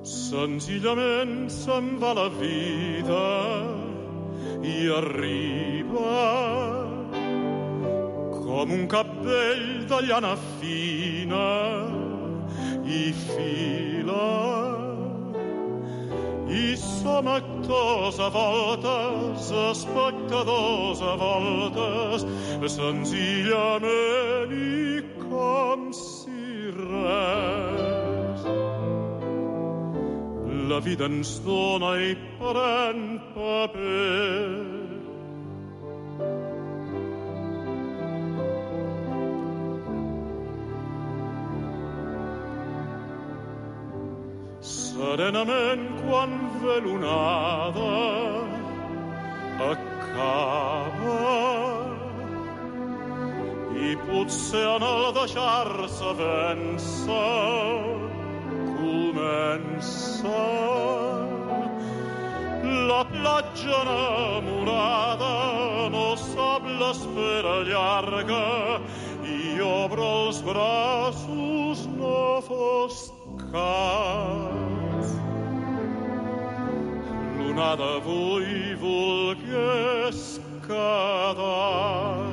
Senzillament se'n va la vida i arriba com un cabdell de llana fina i fila. I som actors a voltes, espectadors a voltes, senzillament i com si res. La vida ens dona i pren paper. Serenament, quan ve l'onada, acaba i potser en el deixar-se vèncer comença la platja enamorada, no sap l'espera llarga i obre els braços, no fos cas. L'onada avui volgués quedar.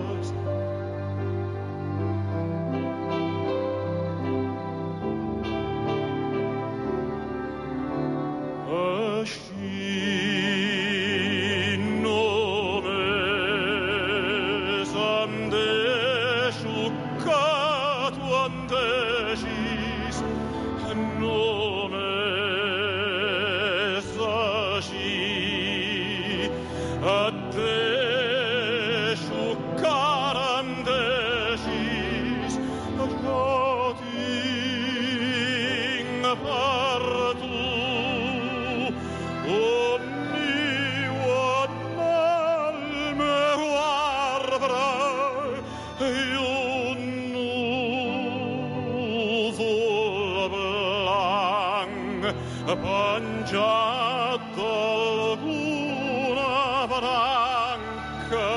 Penjat d'alguna branca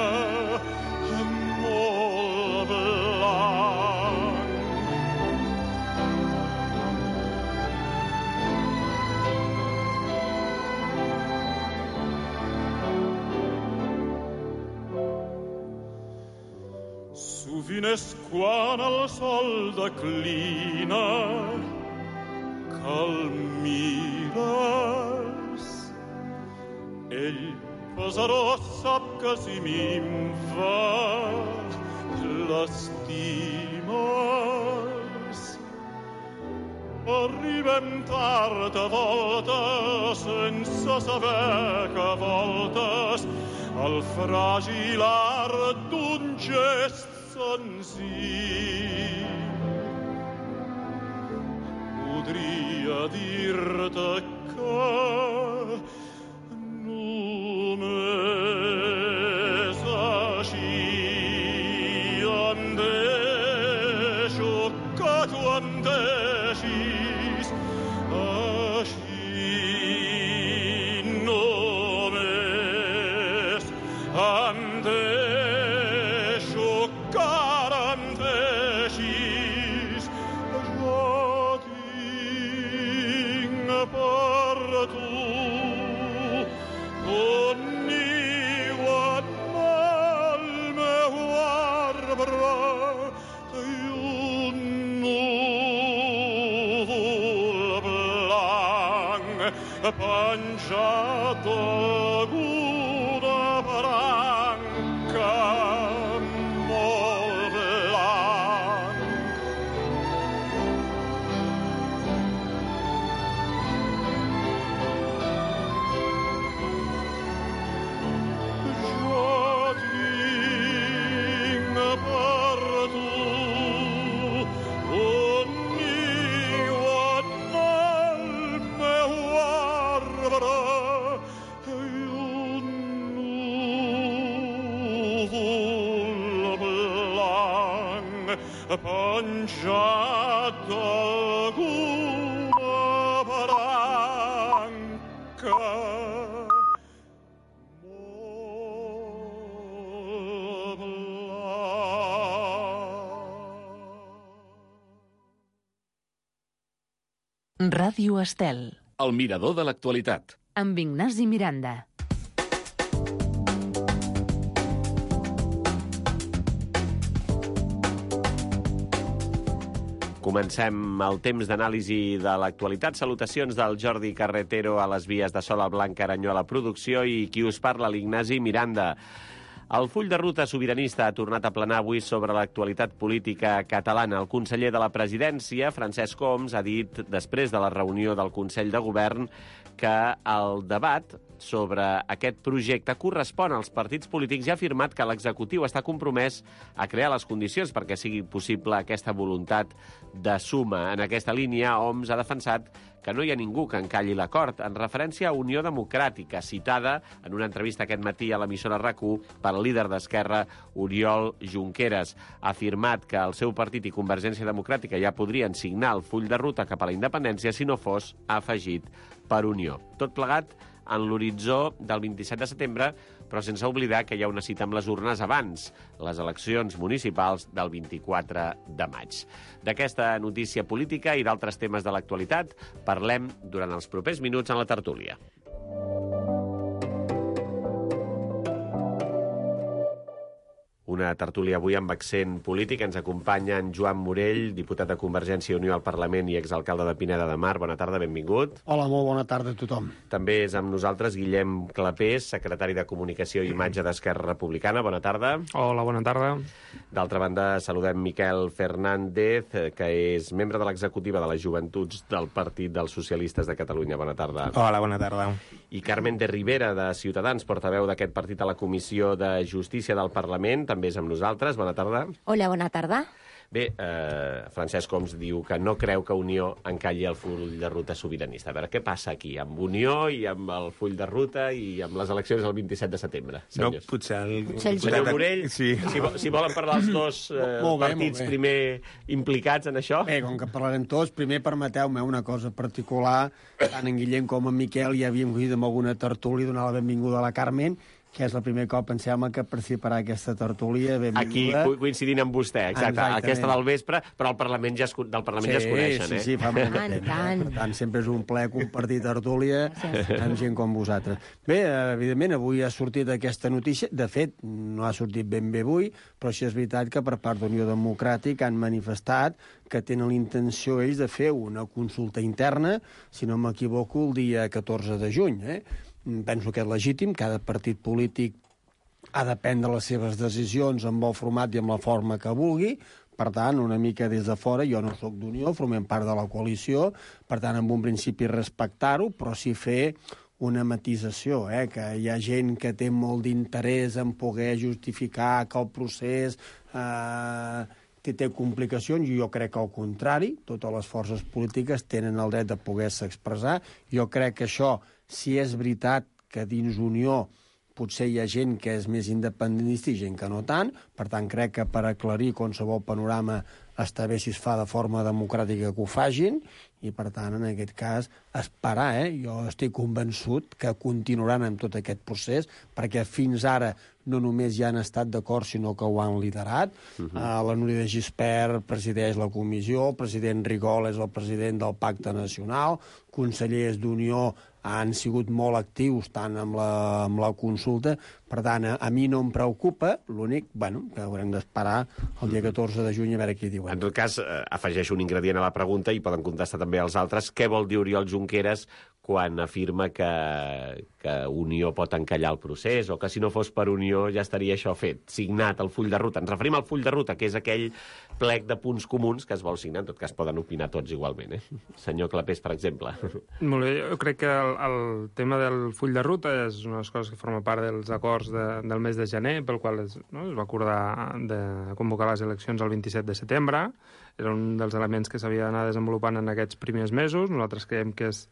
molt blanc. Sovint és quan el sol declina que el mires. Ell, pesarós, sap que si minva l'estimes. Arribem tard a voltes sense saber que a voltes el fràgil art d'un gest senzill podria dir-te que només així em deixo que tu em deixis. Així només em deixo que ara em deixis. Per tu un niu en el meu arbre i un núvol blanc penjat d'alguna branca molt blanc. Penjat d'alguna branca molt blanca. Ràdio Estel. El mirador de l'actualitat. Amb Ignasi Miranda. Comencem el temps d'anàlisi de l'actualitat. Salutacions del Jordi Carretero a les vies de Sol, al Blanc Aranyó a la producció i qui us parla, l'Ignasi Miranda. El full de ruta sobiranista ha tornat a planar avui sobre l'actualitat política catalana. El conseller de la Presidència, Francesc Homs, ha dit, després de la reunió del Consell de Govern, que el debat sobre aquest projecte correspon als partits polítics i ha afirmat que l'executiu està compromès a crear les condicions perquè sigui possible aquesta voluntat de suma. En aquesta línia, Homs ha defensat que no hi ha ningú que encalli l'acord, en referència a Unió Democràtica, citada en una entrevista aquest matí a l'emissora RAC1 pel líder d'Esquerra, Oriol Junqueras. Ha afirmat que el seu partit i Convergència Democràtica ja podrien signar el full de ruta cap a la independència si no fos afegit per Unió. Tot plegat en l'horitzó del 27 de setembre, però sense oblidar que hi ha una cita amb les urnes abans, les eleccions municipals del 24 de maig. D'aquesta notícia política i d'altres temes de l'actualitat parlem durant els propers minuts en la tertúlia. Una tertúlia avui amb accent polític. Ens acompanya en Joan Morell, diputat de Convergència i Unió al Parlament i exalcalde de Pineda de Mar. Bona tarda, benvingut. Hola, molt bona tarda a tothom. També és amb nosaltres Guillem Clapés, secretari de Comunicació i Imatge d'Esquerra Republicana. Bona tarda. Hola, bona tarda. D'altra banda, saludem Miquel Fernández, que és membre de l'executiva de les Joventuts del Partit dels Socialistes de Catalunya. Bona tarda. Hola, bona tarda. I Carmen de Rivera, de Ciutadans, portaveu d'aquest partit a la Comissió de Justícia del Parlament, també és amb nosaltres. Bona tarda. Hola, bona tarda. Bé, Francesc Homs diu que no creu que Unió encalli el full de ruta sobiranista. A veure, què passa aquí amb Unió i amb el full de ruta i amb les eleccions del 27 de setembre? Senyors. No, potser el Senyor Morell, sí. si volen parlar els dos partits primer implicats en això. Bé, com que parlarem tots, primer permeteu-me una cosa particular. Tant en Guillem com en Miquel ja havíem coincidit amb alguna tertúlia, donar la benvinguda a la Carmen, que és el primer cop, em sembla, que participarà aquesta tertúlia. Benvinguda. Aquí coincidint amb vostè, exacte. Aquesta del vespre, però el Parlament ja es coneixen, Sí, fa molt de temps. Per tant, sempre és un plaer compartir tertúlia amb gent com vosaltres. Bé, evidentment, avui ha sortit aquesta notícia. De fet, no ha sortit ben bé avui, però sí és veritat que per part d'Unió Democràtica han manifestat que tenen l'intenció ells de fer una consulta interna, si no m'equivoco, el dia 14 de juny, Penso que és legítim, cada partit polític ha de prendre les seves decisions amb el format i amb la forma que vulgui. Per tant, una mica des de fora, jo no sóc d'Unió, formem part de la coalició, per tant, en un principi respectar-ho, però sí fer una matisació, que hi ha gent que té molt d'interès en poder justificar que el procés té complicacions, i jo crec que al contrari, totes les forces polítiques tenen el dret de poder-se expressar. Jo crec que això, si és veritat que dins Unió potser hi ha gent que és més independentista i gent que no tant, per tant crec que per aclarir qualsevol panorama està bé si es fa de forma democràtica que ho fagin, i per tant en aquest cas esperar, jo estic convençut que continuaran amb tot aquest procés, perquè fins ara no només ja han estat d'acord, sinó que ho han liderat. La Núria de Gispert presideix la comissió, el president Rigol és el president del Pacte Nacional, consellers d'Unió han sigut molt actius tant amb la consulta. Per tant, a mi no em preocupa, l'únic, que haurem d'esperar el dia 14 de juny a veure què diuen. En tot cas, afegeixo un ingredient a la pregunta i poden contestar també els altres. Què vol dir Oriol Junqueras quan afirma que Unió pot encallar el procés, o que si no fos per Unió ja estaria això fet, signat el full de ruta? Ens referim al full de ruta, que és aquell plec de punts comuns que es vol signar. En tot cas, poden opinar tots igualment. Senyor Clapés, per exemple. Molt bé, jo crec que el tema del full de ruta és una de les coses que forma part dels acords del mes de gener, pel qual es va acordar de convocar les eleccions el 27 de setembre. Era un dels elements que s'havia d'anar desenvolupant en aquests primers mesos. Nosaltres creiem que és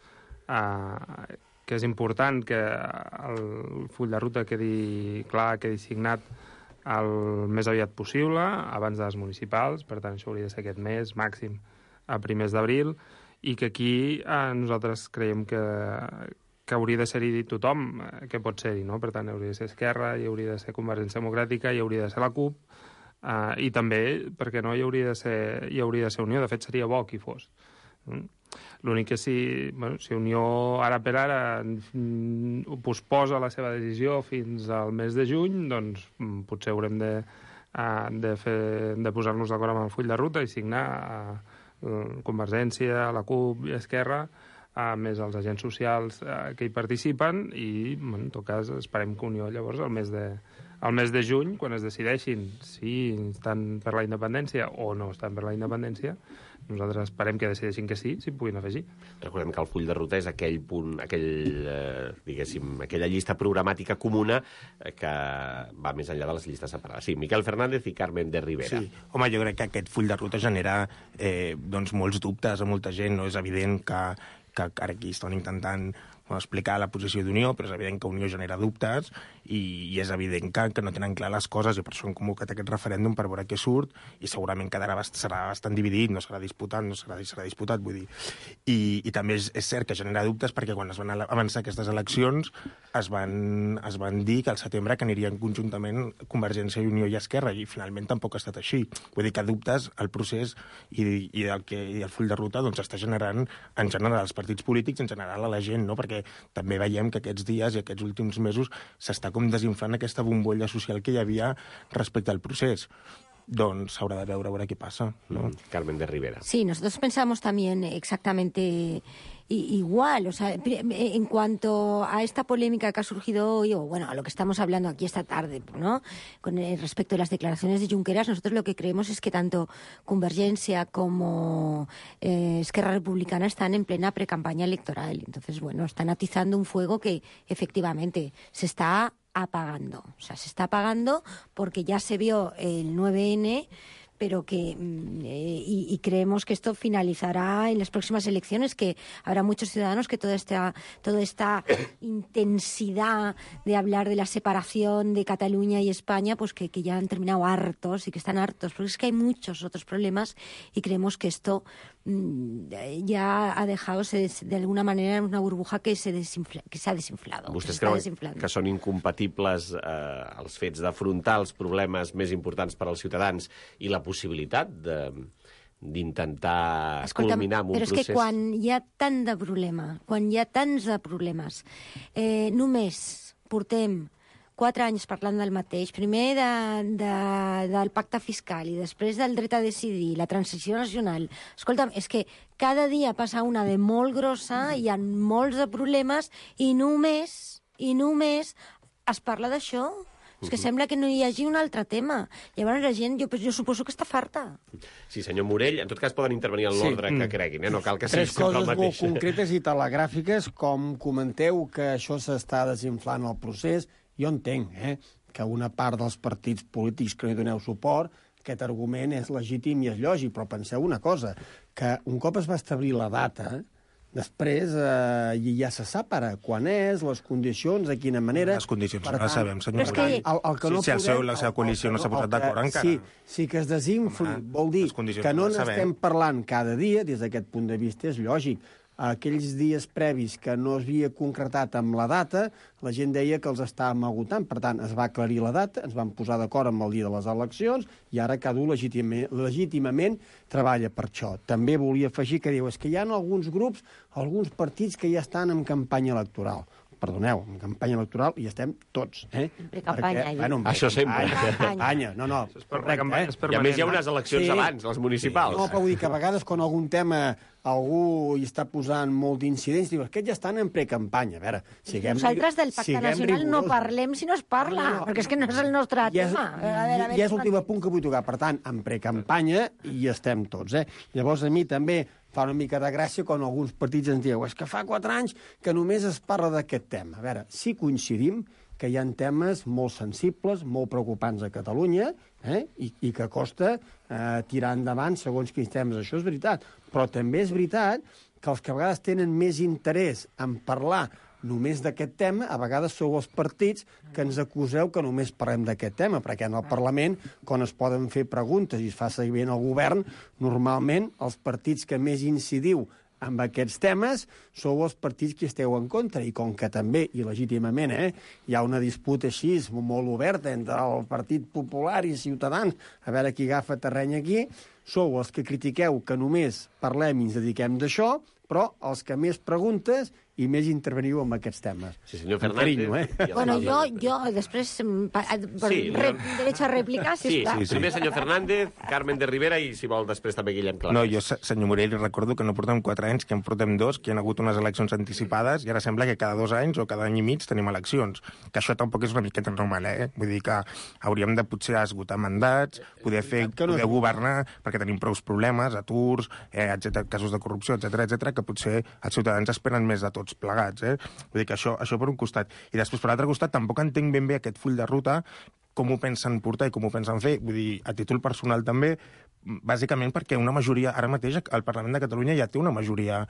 important que el full de ruta quedi clar, quedi signat el més aviat possible, abans de les municipals. Per tant, això hauria de ser aquest mes, màxim a primers d'abril, i que aquí nosaltres creiem que hauria de ser-hi tothom que pot ser-hi, no? Per tant, hauria de ser Esquerra, hi hauria de ser Convergència Democràtica, hi hauria de ser la CUP, i també, perquè no, hi hauria de ser Unió. De fet, seria bo que hi fos. L'únic que si Unió ara per ara posposa la seva decisió fins al mes de juny, doncs potser haurem de posar-nos d'acord amb el full de ruta i signar Convergència, la CUP i Esquerra, més els agents socials que hi participen, i en tot cas esperem que Unió llavors al mes de juny, quan es decideixin si estan per la independència o no estan per la independència, nosaltres esperem que decideixin que sí, s'hi puguin afegir. Recordem que el full de ruta és aquell punt, aquella llista programàtica comuna que va més enllà de les llistes separades. Sí, Miquel Fernández i Carmen de Rivera. Sí. Home, jo crec que aquest full de ruta genera molts dubtes a molta gent. No és evident que ara aquí estan intentant explicar la posició d'Unió, però és evident que Unió genera dubtes i és evident que no tenen clar les coses, i per això han convocat aquest referèndum per veure què surt, i segurament serà bastant dividit, no serà disputat, vull dir. I també és cert que genera dubtes perquè quan es van avançar aquestes eleccions es van dir que al setembre que anirien conjuntament Convergència i Unió i Esquerra, i finalment tampoc ha estat així. Vull dir que dubtes el procés i el full de ruta doncs està generant en general als partits polítics, en general a la gent, no? Perquè també veiem que aquests dies i aquests últims mesos s'està com desinflant aquesta bombolla social que hi havia respecte al procés. Doncs s'haurà de veure qué pasa, ¿no? Carmen de Rivera. Sí, nosotros pensamos también exactamente igual. O sea, en cuanto a esta polémica que ha surgido hoy, o bueno, a lo que estamos hablando aquí esta tarde, ¿no? Con respecto a las declaraciones de Junqueras, nosotros lo que creemos es que tanto Convergencia como Esquerra Republicana están en plena precampaña electoral. Entonces, bueno, están atizando un fuego que efectivamente se está apagando. O sea, se está apagando porque ya se vio el 9N, pero que y creemos que esto finalizará en las próximas elecciones, que habrá muchos ciudadanos que toda esta intensidad de hablar de la separación de Cataluña y España, pues que ya han terminado hartos y que están hartos, porque es que hay muchos otros problemas y creemos que esto ja ha dejado de alguna manera una burbuja que s'ha desinflado. Vostès creuen que són incompatibles els fets d'afrontar els problemes més importants per als ciutadans i la possibilitat d'intentar culminar amb un procés? Però és que quan hi ha tant de problema, quan hi ha tants de problemes, només portem 4 anys parlant del mateix, primer del pacte fiscal i després del dret a decidir, la transició nacional. Escolta'm, és que cada dia passa una de molt grossa, hi ha molts de problemes i només es parla d'això. És que sembla que no hi hagi un altre tema. Llavors la gent, jo suposo que està farta. Sí, senyor Morell, en tot cas poden intervenir en l'ordre que creguin, no cal que sigui sempre el mateix. 3 coses molt concretes i telegràfiques, com comenteu que això s'està desinflant el procés. Jo entenc que una part dels partits polítics que no hi doneu suport, aquest argument és legítim i és lògic, però penseu una cosa, que un cop es va establir la data, després ja se sap ara quan és, les condicions, de quina manera... Les condicions no les sabem, senyor Morell. Si la seva coalició no s'ha posat d'acord encara... Sí que es desinfli, vol dir que no n'estem parlant cada dia, des d'aquest punt de vista és lògic. Aquells dies previs que no es havia concretat amb la data, la gent deia que els estàvem agotant. Per tant, es va aclarir la data, ens vam posar d'acord amb el dia de les eleccions i ara cada un legítimament treballa per això. També volia afegir que diu que hi ha alguns grups, alguns partits que ja estan en campanya electoral. Perdoneu, en campanya electoral hi estem tots. Precampanya. Això sempre. Campanya, no. I a més hi ha unes eleccions abans, les municipals. No, però vull dir que a vegades quan algun tema algú hi està posant molt d'incidents, diu, aquests ja estan en precampanya. A veure, nosaltres del pacte nacional no parlem si no es parla, perquè és que no és el nostre tema. I és l'últim punt que vull tocar. Per tant, en precampanya hi estem tots. Llavors, a mi també fa una mica de gràcia quan alguns partits ens diuen és que fa 4 anys que només es parla d'aquest tema. A veure, sí coincidim que hi ha temes molt sensibles, molt preocupants a Catalunya, i que costa tirar endavant segons quins temes. Això és veritat. Però també és veritat que els que a vegades tenen més interès en parlar només d'aquest tema, a vegades sou els partits que ens acuseu que només parlem d'aquest tema, perquè en el Parlament, quan es poden fer preguntes i es fa seguiment al govern, normalment els partits que més incidiu amb aquests temes sou els partits que esteu en contra, i com que també, i legítimament, hi ha una disputa així molt oberta entre el Partit Popular i Ciutadans, a veure qui agafa terreny aquí, sou els que critiqueu que només parlem i ens dediquem d'això, però els que més preguntes i més interveniu en aquests temes. Sí, senyor Amb Fernández. carinyo, Bueno, jo després, derecho a réplica, sisplau. Sí. Primer senyor Fernández, Carmen de Rivera i, si vol, després també Guillem Clapés. No, jo, senyor Morell, recordo que no portem 4 anys, que en portem 2, que hi ha hagut unes eleccions anticipades i ara sembla que cada 2 anys o cada any i mig tenim eleccions. Que això tampoc és una miqueta normal, Vull dir que hauríem de potser esgotar mandats, poder governar, perquè tenim prou problemes, aturs, casos de corrupció, etc, que potser els ciutadans esperen més de tots plegats, Vull dir que això per un costat. I després, per l'altre costat, tampoc entenc ben bé aquest full de ruta, com ho pensen portar i com ho pensen fer. Vull dir, a títol personal també, bàsicament perquè una majoria, ara mateix el Parlament de Catalunya ja té una majoria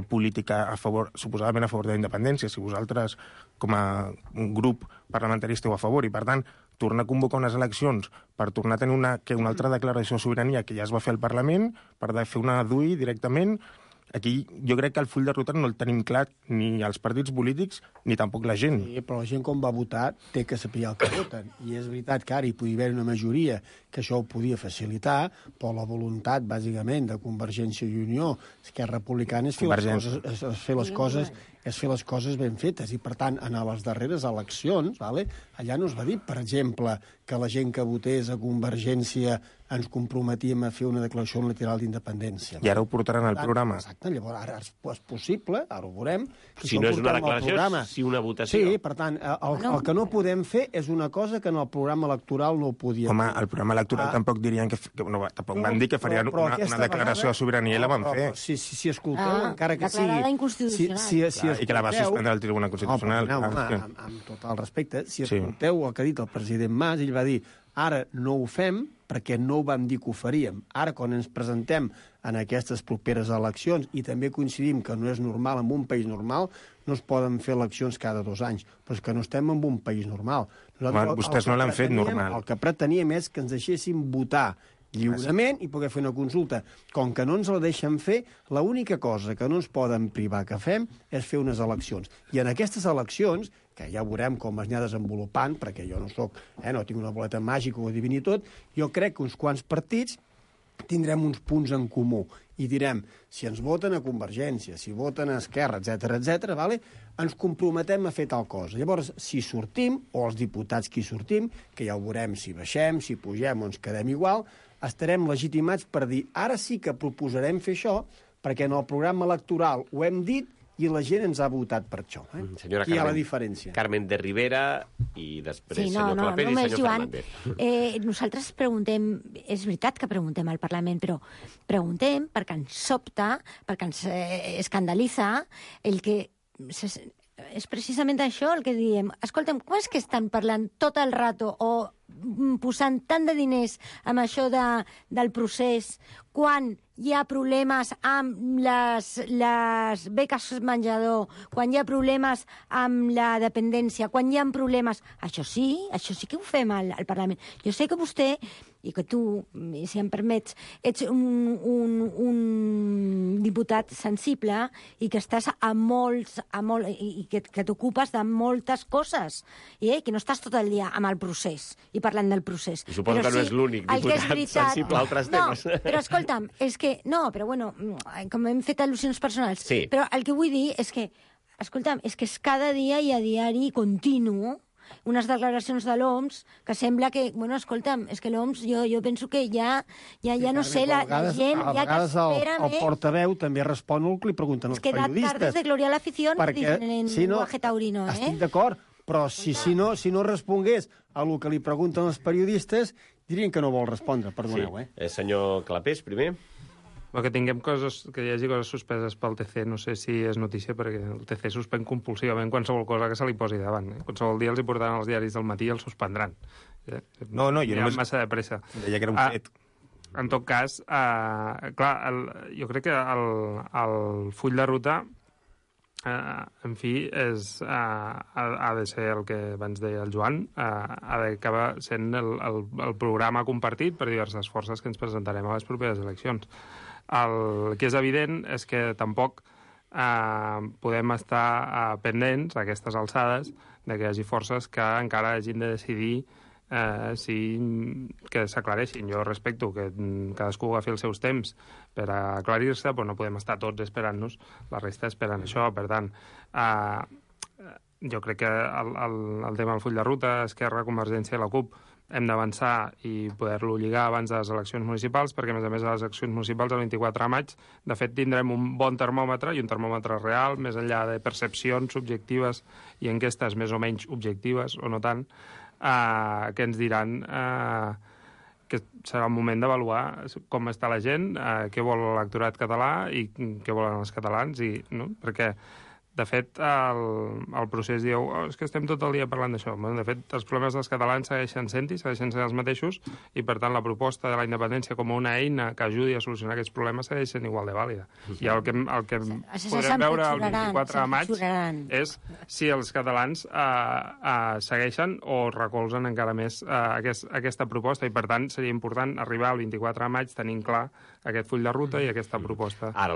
política suposadament a favor de la independència. Si vosaltres, com a grup parlamentari, esteu a favor, i per tant, tornar a convocar unes eleccions per tornar a tenir una altra declaració de sobirania que ja es va fer al Parlament, per fer una DUI directament. Aquí jo crec que el full de ruta no el tenim clar ni els partits polítics ni tampoc la gent. Sí, però la gent quan va votar té que saber el que voten. I és veritat que ara hi podia haver una majoria que això ho podia facilitar, però la voluntat, bàsicament, de Convergència i Unió, Esquerra Republicana, és fer les coses ben fetes. I, per tant, en les darreres eleccions, allà no es va dir, per exemple, que la gent que votés a Convergència ens comprometíem a fer una declaració unilateral d'independència. I ara ho portaran al programa. Exacte, llavors ara és possible, ara ho veurem. Si no és una declaració, sí una votació. Sí, per tant, el que no podem fer és una cosa que en el programa electoral no ho podíem fer. Home, el programa electoral tampoc dirien que... tampoc van dir que farien una declaració de sobirania i la van fer. Si escolteu, encara que sigui... Declarada inconstitucional. I que la va suspendre el Tribunal Constitucional. Amb tot el respecte, si escolteu el que ha dit el president Mas, ell va dir ara no ho fem perquè no ho vam dir que ho faríem. Ara, quan ens presentem en aquestes properes eleccions i també coincidim que no és normal en un país normal, no es poden fer eleccions cada 2 anys. Però és que no estem en un país normal. Vostès no l'han fet normal. El que preteníem és que ens deixessin votar lliurement i poder fer una consulta. Com que no ens la deixen fer, l'única cosa que no ens poden privar que fem és fer unes eleccions. I en aquestes eleccions, que ja veurem com es anirà desenvolupant, perquè jo no soc, no tinc una boleta màgica o adivini tot, jo crec que uns quants partits tindrem uns punts en comú i direm, si ens voten a Convergència, si voten a Esquerra, etc, ens comprometem a fer tal cosa. Llavors, si sortim, o els diputats que hi sortim, que ja ho veurem si baixem, si pugem o ens quedem igual, estarem legitimats per dir, ara sí que proposarem fer això, perquè en el programa electoral ho hem dit i la gent ens ha votat per això. Senyora Aquí hi ha la diferència. Carmen de Rivera i després senyor Clapés i només, senyor Joan, Fernández. Nosaltres preguntem, és veritat que preguntem al Parlament, però preguntem perquè ens sobta, perquè ens escandalitza el que... És precisament això el que diem. Escolta'm, com és que estan parlant tot el rato o posant tant de diners amb això del procés quan hi ha problemes amb les beques menjador, quan hi ha problemes amb la dependència, quan hi ha problemes... Això sí que ho fem al Parlament. Jo sé que vostè, i que tu, si em permets, ets un diputat sensible i que estàs i que t'ocupes de moltes coses, que no estàs tot el dia amb el procés i parlant del procés. I suposo que no és l'únic diputat sensible a altres temes. No, però escolta'm, és que... No, però bueno, com hem fet al·lusions personals. Sí. Però el que vull dir és que, escolta'm, és que és cada dia i a diari continu unes declaracions de l'OMS que sembla que, bueno, escolta'm, és que l'OMS jo penso que ja no sé, la gent ja que espera més... El portaveu també respon el que li pregunten els periodistes. És que tardes de gloria a l'afició, dicen en lenguaje taurino, Estic d'acord, però si no respongués a el que li pregunten els periodistes, dirien que no vol respondre, perdoneu, Senyor Clapés, primer. Que tinguem que hi hagi coses suspeses pel TC, no sé si és notícia, perquè el TC suspèn compulsivament qualsevol cosa que se li posi davant. Qualsevol dia els hi portaran als diaris del matí i els suspendran. No, jo hi ha massa de pressa. Deia que era un fet. En tot cas, clar, jo crec que el full de ruta, en fi, ha de ser el que abans deia el Joan, ha d'acabar sent el programa compartit per diverses forces que ens presentarem a les properes eleccions. El que és evident és que tampoc podem estar pendents a aquestes alçades de que hi hagi forces que encara hagin de decidir que s'aclareixin. Jo respecto que cadascú agafi els seus temps per aclarir-se, però no podem estar tots esperant-nos, la resta esperant això. Per tant, jo crec que el tema del full de ruta, Esquerra, Convergència i la CUP, hem d'avançar i poder-lo lligar abans de les eleccions municipals, perquè, a més, a les eleccions municipals, el 24 de maig, de fet, tindrem un bon termòmetre, i un termòmetre real, més enllà de percepcions subjectives i enquestes més o menys objectives, o no tant, que ens diran que serà el moment d'avaluar com està la gent, què vol l'electorat català i què volen els catalans, no? Perquè de fet, el procés diu és que estem tot el dia parlant d'això. De fet, els problemes dels catalans segueixen sent-hi, segueixen sent els mateixos, i, per tant, la proposta de la independència com una eina que ajudi a solucionar aquests problemes segueix sent igual de vàlida. I el que podrem veure el 24 de maig és si els catalans segueixen o recolzen encara més aquesta proposta, i, per tant, seria important arribar al 24 de maig tenint clar aquest full de ruta i aquesta proposta. Ara,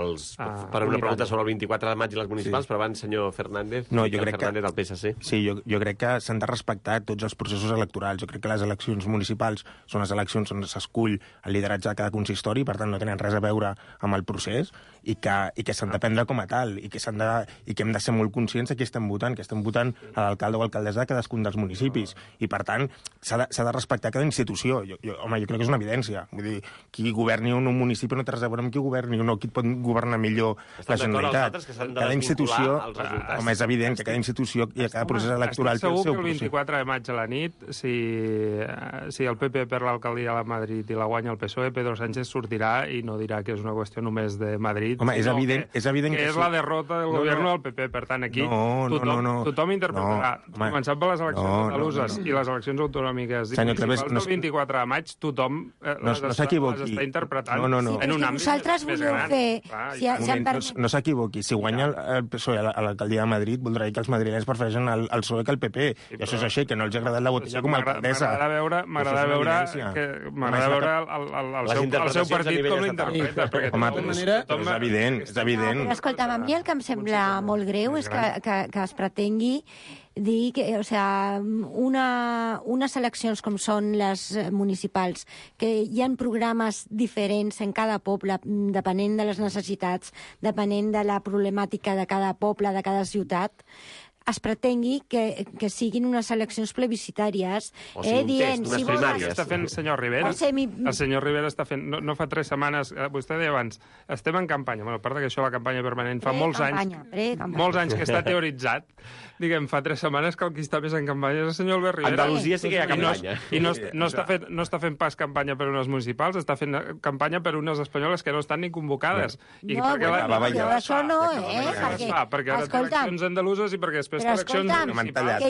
per una pregunta sobre el 24 de maig i les municipals, però abans, senyor Fernández, Fernández del PSC. Sí, jo crec que s'han de respectar tots els processos electorals. Jo crec que les eleccions municipals són les eleccions on s'escull el lideratge de cada consistori, per tant no tenen res a veure amb el procés, i que s'han de prendre com a tal, i que hem de ser molt conscients de qui estem votant, que estem votant a l'alcalde o alcaldessa de cadascun dels municipis, i, per tant, s'ha de respectar cada institució. Home, jo crec que és una evidència. Vull dir, qui governi un municipi no té res a veure amb qui governi, no, qui pot governar millor la Generalitat. Cada institució, home, és evident que cada institució i cada procés electoral té el seu procés. Estic segur que el 24 de maig a la nit, si el PP perd l'alcaldia de Madrid i la guanya el PSOE, Pedro Sánchez sortirà i no dirà que és una qüestió només de Madrid. Home, és evident que és la derrota del govern del PP. Per tant, aquí tothom interpretarà, començant per les eleccions andaluses i les eleccions autonòmiques i municipals del 24 de maig, tothom les està interpretant en un àmbit vosaltres més voleu gran. fer... No s'equivoqui, si guanya el PSOE a l'alcaldia de Madrid, voldrà dir que els madrilenys prefereixen el PSOE que el PP, i això és així, que no els ha agradat la botella com a alcaldessa. M'agrada veure el seu partit com l'interpreta. És evident. Escolta'm, a mi el que em sembla molt greu és que es pretengui dir que, unes eleccions com són les municipals, que hi ha programes diferents en cada poble, depenent de les necessitats, depenent de la problemàtica de cada poble, de cada ciutat, es pretengui que siguin unes eleccions plebiscitàries, dient... unes primàries. Està fent el senyor Rivera. El senyor Rivera està fent... No fa 3 setmanes, vostè deia abans, estem en campanya. Bueno, a part que això, la campanya permanent, fa molts anys que està teoritzat. Diguem, fa 3 setmanes que el qui està més en campanya és el senyor Albert Rivera. Andalusia sí que hi ha campanya. I no està fent pas campanya per unes municipals, està fent campanya per unes espanyoles que no estan ni convocades. Això no, perquè ara té eleccions andaluses i perquè després té eleccions municipals.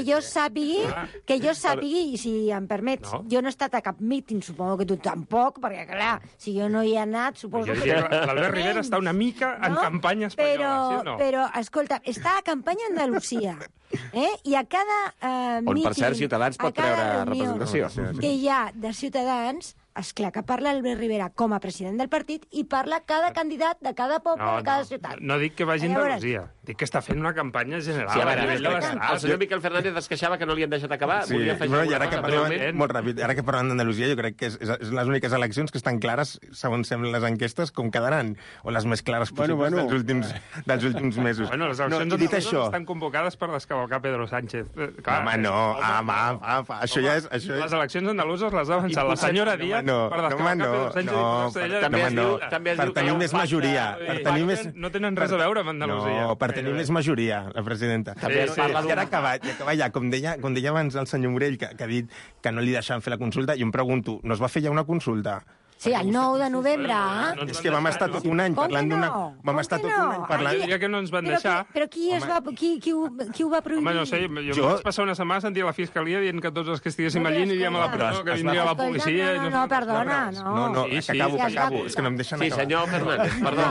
Que jo sàpigui, i si em permets, jo no he estat a cap míting, suposo que tu tampoc, perquè, clar, si jo no hi he anat, suposo que... L'Albert Rivera està una mica en campanya espanyola, sí o no? Però, escolta, està a campanya a Andalusia, i a cada míting... On, per cert, Ciutadans pot treure representació. Que hi ha de Ciutadans, esclar que parla Albert Rivera com a president del partit i parla cada candidat de cada poble, de cada ciutat. No dic que vagi a Andalusia, dic que està fent una campanya general. Sí, a veure, el senyor Miquel Fernández es queixava que no li han deixat acabar. Sí, i ara que parlem d'Andalusia, jo crec que és les úniques eleccions que estan clares, segons semblen les enquestes, com quedaran, o les més clares possibles dels últims mesos. Bueno, les eleccions andaluses estan convocades per descavalcar Pedro Sánchez. Home, no, això ja és... Les eleccions andaluses les ha avançat la senyora Díaz per descavalcar Pedro Sánchez. Per tenir més majoria. No tenen res a veure amb Andalusia. No, per tenir més majoria, la presidenta. I ara acabar ja, com deia abans el senyor Morell, que ha dit que no li deixaven fer la consulta, jo em pregunto, no es va fer ja una consulta? Sí, el 9 de novembre. És que vam estar tot un any parlant d'una... Vam estar tot un any parlant... Jo diria que no ens van deixar. Però qui ho va prohibir? Home, no sé, jo vaig passar una setmana sentir a la Fiscalia dient que tots els que estiguéssim allí aniríem a la presó, que vindria la policia... No, perdona, no. No, que acabo. És que no em deixen acabar. Sí, senyor Fernández, perdó.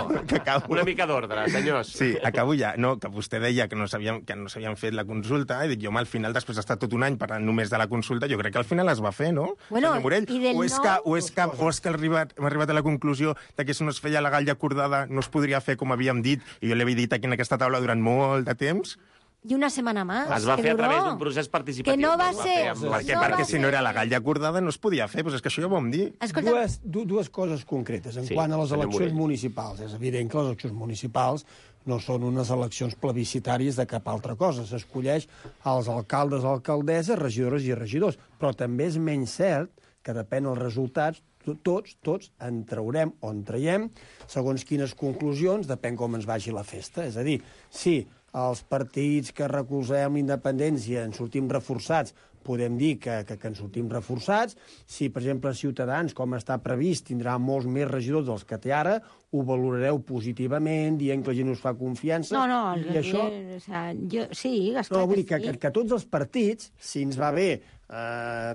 Una mica d'ordre, senyors. Sí, acabo ja. No, que vostè deia que no s'havien fet la consulta, i dic, jo, al final, després d'estar tot un any parlant només de la consulta, jo crec que al final es va fer, no? Senyor Morell, o és que hem arribat a la conclusió de que si no es feia legal i acordada no es podria fer com havíem dit, i jo l'he dit aquí en aquesta taula durant molt de temps? y una semana más. Es va que fer a duró. través d'un procés participatiu. Que no va es ser... fer amb la- Perquè si no era legal i acordada no es podia fer, doncs és que això ja ho vam dir. Escolta, Dues coses concretes. En Sí, quant a les senyor eleccions Morell. municipals, és evident que les eleccions municipals no són unes eleccions plebiscitàries de cap altra cosa. S'escolleix els alcaldes, alcaldesses, regidores i regidors. Però també és menys cert que depèn dels resultats, tots en traurem o en traiem, segons quines conclusions, depèn com ens vagi la festa. És a dir, si els partits que recolzem la independència en sortim reforçats, podem dir que en sortim reforçats. Si, per exemple, Ciutadans, com està previst, tindrà molts més regidors dels que té ara, ho valorareu positivament, dient que la gent us fa confiança. no, I això... o sea, sí, esclar No, vull dir que sí. que tots els partits, si ens va bé,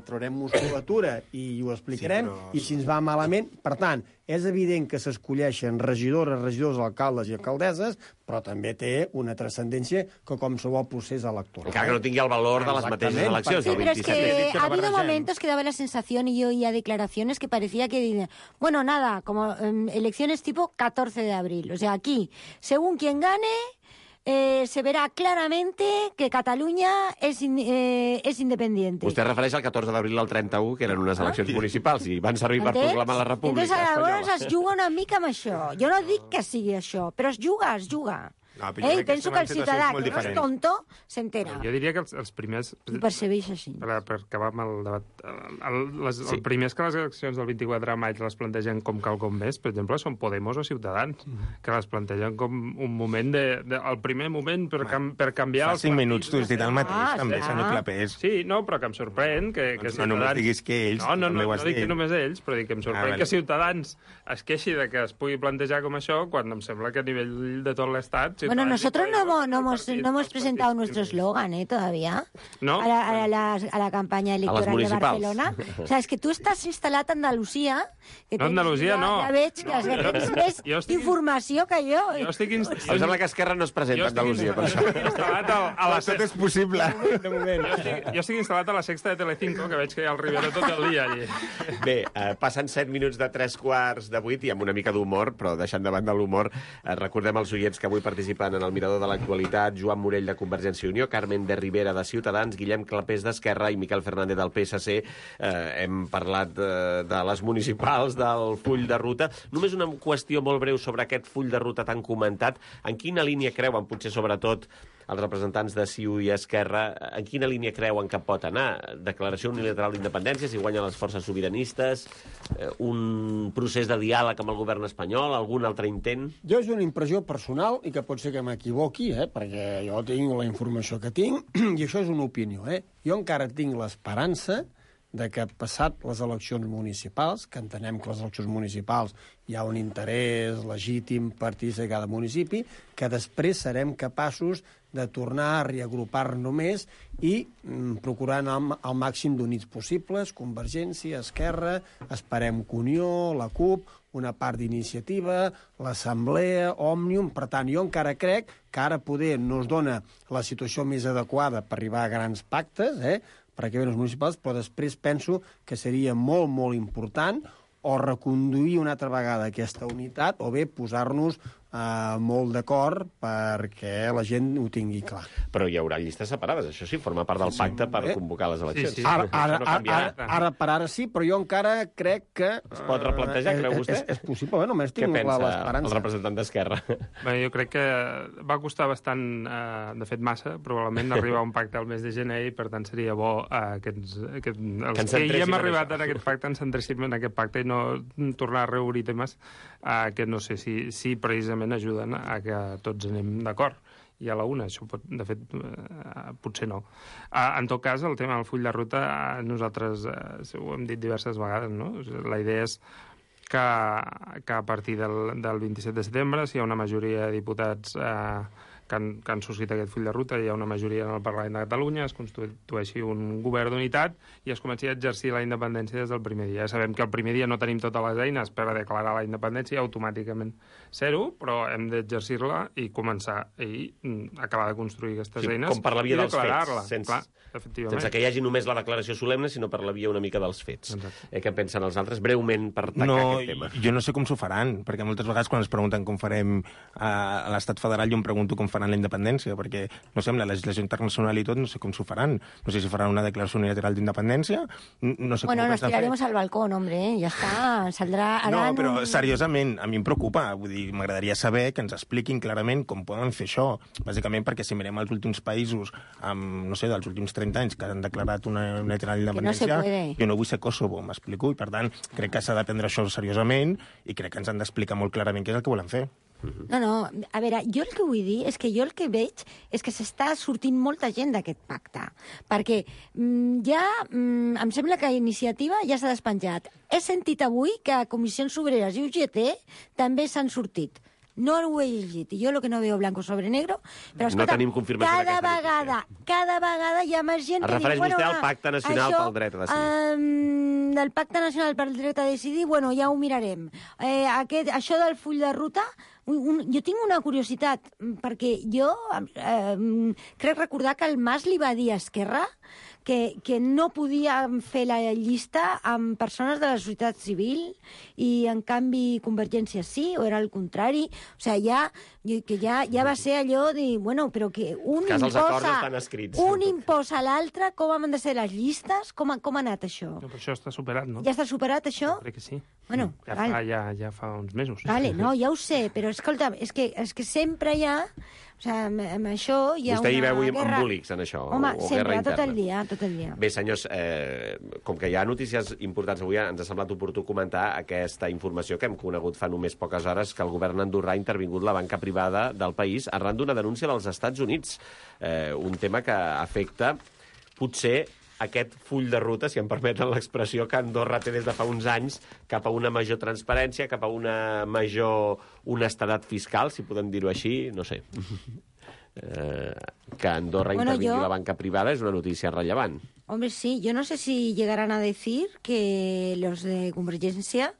traurem musculatura i ho explicarem, Sí, però- i si ens va malament... Per tant, és evident que s'escolleixen regidores, regidors, alcaldes i alcaldesses, però també té una transcendència que qualsevol procés electoral. Encara que no tingui el valor de les mateixes Exactament, eleccions, Sí, del pero es 27. que que ha no habido barregem. momentos que daba la sensación, y yo oía declaraciones que parecía que, bueno, nada, como elecciones tipo 14 de abril. O sea, aquí, según quien gane, se verá claramente que Cataluña es independiente. Vostè es refereix al 14 d'abril al 31, que eren unes eleccions municipals i van servir per Entens? proclamar la República Entonces, Espanyola. llavors es juga una mica amb això. Jo no dic que sigui això, però es juga. No, però jo I crec que penso són que el situacions ciutadà, molt que no és diferents. tonto, s'entera. Jo diria que els primers... I percebeix així. Per acabar amb el debat, Sí. el primer és que les eleccions del 24 de maig les plantegen com quelcom més, per exemple, són Podemos o Ciutadans, que les plantegen com un moment el primer moment per canviar Fa els 5 partits. minuts tu has dit el mateix, també, sí. senyor Clapés. Sí, no, però que em sorprèn que Doncs no només diguis que ells, No, també ho has no dic dit. que només ells, però dic que em sorprèn vale. que Ciutadans es queixi de que es pugui plantejar com això, quan em sembla que a nivell de tot l'Estat... Bueno, Ciutadans nosotros i no Podemos, hemos presentado nuestro eslogan, todavía. No. A la campaña electoral de municipals. Barcelona. O sea, es que tú estás instal·lat a Andalusia. Que No, tens- Andalusia no. Ja veig que tens més Jo estic- informació que jo. Jo estic Em sembla que Esquerra no es presenta a Andalusia, per això. instal·lat a la Tot és possible. De moment. Jo estic instal·lat a la sexta de Telecinco, que veig que hi ha el Rivera tot el dia allí. Bé, passen 7 minuts de 3:45 i amb una mica d'humor, però deixant de banda l'humor, recordem als oients que avui participen en el Mirador de l'Actualitat: Joan Morell, de Convergència i Unió, Carmen de Rivera, de Ciutadans, Guillem Clapés, d'Esquerra, i Miquel Fernández, del PSC. Hem parlat de les municipals, del full de ruta. Només una qüestió molt breu sobre aquest full de ruta tan comentat. En quina línia creuen, potser sobretot els representants de CiU i Esquerra, en quina línia creuen que pot anar? Declaració unilateral d'independència, si guanyen les forces sobiranistes, un procés de diàleg amb el govern espanyol, algun altre intent? Jo és una impressió personal, i que pot ser que m'equivoqui, perquè jo tinc la informació que tinc, i això és una opinió. Jo encara tinc l'esperança de que, passat les eleccions municipals, que entenem que les eleccions municipals hi ha un interès legítim partits de cada municipi, que després serem capaços de tornar a reagrupar-nos més i procurar anar al màxim d'units possibles, Convergència, Esquerra, esperem que Unió, la CUP, una part d'iniciativa, l'Assemblea, Òmnium. Per tant, jo encara crec que ara poder no es dona la situació més adequada per arribar a grans pactes, per aquí els municipals, però després penso que seria molt, molt important o reconduir una altra vegada aquesta unitat o bé posar-nos molt d'acord perquè la gent ho tingui clar. Però hi haurà llistes separades, això sí, forma part del pacte per convocar les eleccions. Sí, sí. Ara Això no canviarà. per ara sí, però jo encara crec que... Es pot replantejar, creu vostè? És possible, només Què tinc pensa el l'esperança. representant d'Esquerra? Bé, jo crec que va costar bastant, de fet massa, probablement arribar a un pacte al mes de gener, i per tant seria bo que els que hi centréssim hem en arribat això. en aquest pacte ens centréssim en aquest pacte i no tornar a reobrir temes que no sé si precisament ajuden a que tots anem d'acord i a la una, això de fet potser no. En tot cas, el tema del full de ruta nosaltres ho hem dit diverses vegades, no? La idea és que a partir del 27 de setembre, si hi ha una majoria de diputats que han suscrit aquest full de ruta, hi ha una majoria en el Parlament de Catalunya, es constitueixi un govern d'unitat i es comenci a exercir la independència des del primer dia. Ja sabem que el primer dia no tenim totes les eines per a declarar la independència, automàticament zero, però hem d'exercir-la i començar i acabar de construir aquestes eines com per la via i dels declarar-la. fets, Clar, efectivament. sense que hi hagi només la declaració solemne, sinó per la via una mica dels fets. Què pensen els altres? Breument, per tancar aquest tema. Jo no sé com s'ho faran, perquè moltes vegades quan ens pregunten com farem a l'estat federal, jo em pregunto com faran la independència, perquè, no sé, amb la legislació internacional i tot, no sé com s'ho faran. No sé si faran una declaració unilateral d'independència, no sé com nos tiraremos al balcón, hombre, ja està, saldrà... No, però seriosament, a mi em preocupa, vull dir, m'agradaria saber que ens expliquin clarament com poden fer això, bàsicament perquè si mirem els últims països, no sé, dels últims 30 anys que han declarat una unilateral d'independència, jo no vull ser Kosovo, m'explico, i per tant crec que s'ha de prendre això seriosament i crec que ens han d'explicar molt clarament què és el que volen fer. No, a veure, jo el que vull dir és que jo el que veig és que s'està sortint molta gent d'aquest pacte, perquè em sembla que Iniciativa ja s'ha despenjat. He sentit avui que Comissions Obreres i UGT també s'han sortit. No ho he llegit, i jo el que no veo blanco sobre negro, però escolta, no tenim confirmació cada vegada hi ha més gent que diu... Es refereix vostè al Pacte Nacional pel Dret a Decidir. Del Pacte Nacional pel Dret a Decidir, bueno, ja ho mirarem. Això del full de ruta, jo tinc una curiositat, perquè jo crec recordar que el Mas li va dir a Esquerra que no podíem fer la llista amb persones de la societat civil i, en canvi, Convergència sí, o era el contrari. O sigui, ja va ser allò de... Bueno, però que un imposa a l'altre com han de ser les llistes, com ha anat això? No, però això està superat, no? Ja està superat, això? Crec que sí. Bueno, ja fa uns mesos. Vale, no, ja ho sé, però escolta, és que sempre hi ha... O sigui, amb això hi ha Vostè hi veu guerra... embolics en això, Home, o sempre, guerra interna. tot el dia. Bé, senyors, com que hi ha notícies importants avui, ens ha semblat oportú comentar aquesta informació que hem conegut fa només poques hores, que el govern andorrà ha intervingut la banca privada del país arran d'una denúncia dels Estats Units. Un tema que afecta, potser, aquest full de ruta, si em permeten l'expressió, que Andorra té des de fa uns anys cap a una major transparència, cap a una major honestedat fiscal, si podem dir-ho així, no sé. Que Andorra intervingui la banca privada és una notícia rellevant. Hombre, sí, yo no sé si llegarán a decir que los de Convergencia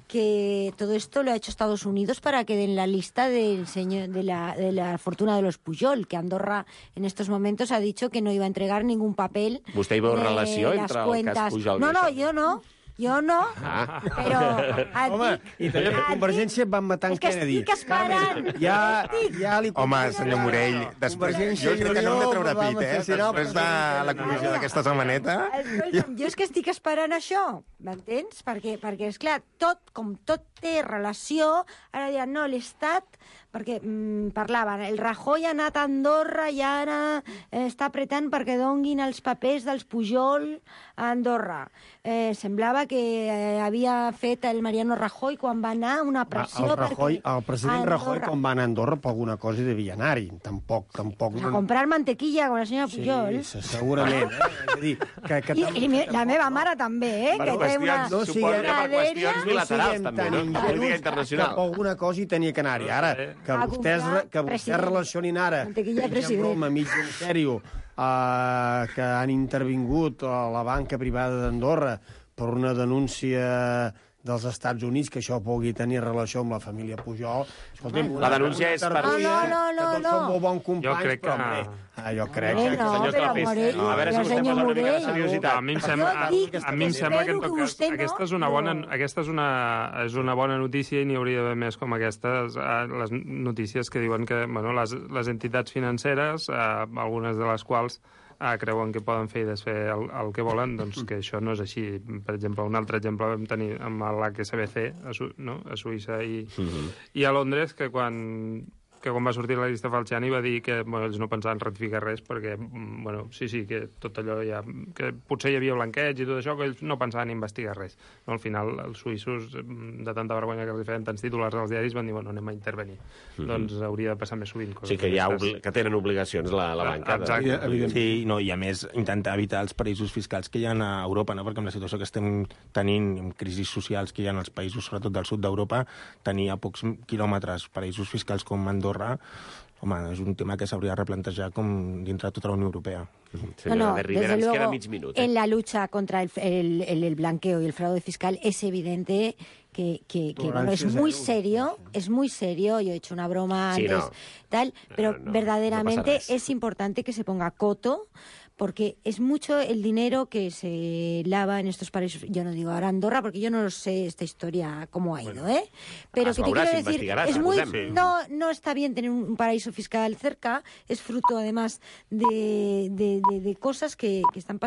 que todo esto lo ha hecho Estados Unidos para que den la lista del señor de la fortuna de los Pujol, que Andorra en estos momentos ha dicho que no iba a entregar ningún papel. ¿Vostè hi veu relació entre el cas Pujol? No, jo no, però... Home, i també per Convergència van matar en Kennedy. És que estic esperant. Ja li... Home, senyor Morell, després... Jo crec que no hem de treure pit, després de la comissió d'aquesta setmaneta... Jo és que estic esperant això, m'entens? Perquè esclar, com tot té relació, ara diran, no, l'Estat... Perquè parlaven, el Rajoy ha anat a Andorra i ara està apretant perquè donguin els papers dels Pujol a Andorra. Semblava que havia fet el Mariano Rajoy quan va anar una pressió... El president Rajoy, quan va anar a Andorra, per alguna cosa hi devia anar-hi. Tampoc... A comprar mantequilla con la senyora Pujol. Sí, segurament. És a dir, I la meva mare també, que té una... Suposo que per qüestions bilaterals, també, no? Política internacional. Per alguna cosa hi tenia que anar-hi. Ara, que vostès relacionin ara en broma, mig en sèrio, que han intervingut a la banca privada d'Andorra per una denúncia dels Estats Units, que això pugui tenir relació amb la família Pujol. Escolta'm, la denúncia és per... No. Som molt bons companys, jo crec que... Jo crec que... Senyor Clapés, a veure si vostè posa una mica de seriositat. A mi em sembla que, en tot cas, aquesta és una bona notícia i n'hi hauria d'haver més com aquestes, les notícies que diuen que les entitats financeres, algunes de les quals creuen que poden fer i desfer el que volen, doncs que això no és així. Per exemple, un altre exemple vam tenir amb l'HSBC a Suïssa i a Londres, que quan va sortir la llista Falciani va dir que ells no pensaven ratificar res perquè, que tot allò ja... que potser hi havia blanqueig i tot això, que ells no pensaven investigar res. No, al final, els suïssos, de tanta vergonya que els feien tants titulars als diaris, van dir, anem a intervenir. Doncs hauria de passar més sovint. Sí, que tenen obligacions la banca. Exacte. Sí, i a més, intentar evitar els paraïsos fiscals que hi ha a Europa, no? Perquè amb la situació que estem tenint, amb crisis socials que hi ha als països, sobretot del sud d'Europa, tenir a pocs quilòmetres paraïsos fiscals com Andorra, home, és un tema que s'hauria de replantejar com dintre de tota la Unió Europea. Señora de Rivera, ens queda mig minut. En la lucha contra el blanqueo y el fraude fiscal es evidente que es muy serio, yo he hecho una broma antes, pero verdaderamente es importante que se ponga coto, porque es mucho el dinero que se lava en estos paraísos. Yo no digo ahora Andorra, porque yo no sé esta historia cómo ha ido, pero es que te veurà, quiero decir, s'investigarà, es muy, suposem. no está bien tener un paraíso fiscal cerca, es fruto además de cosas que están pasando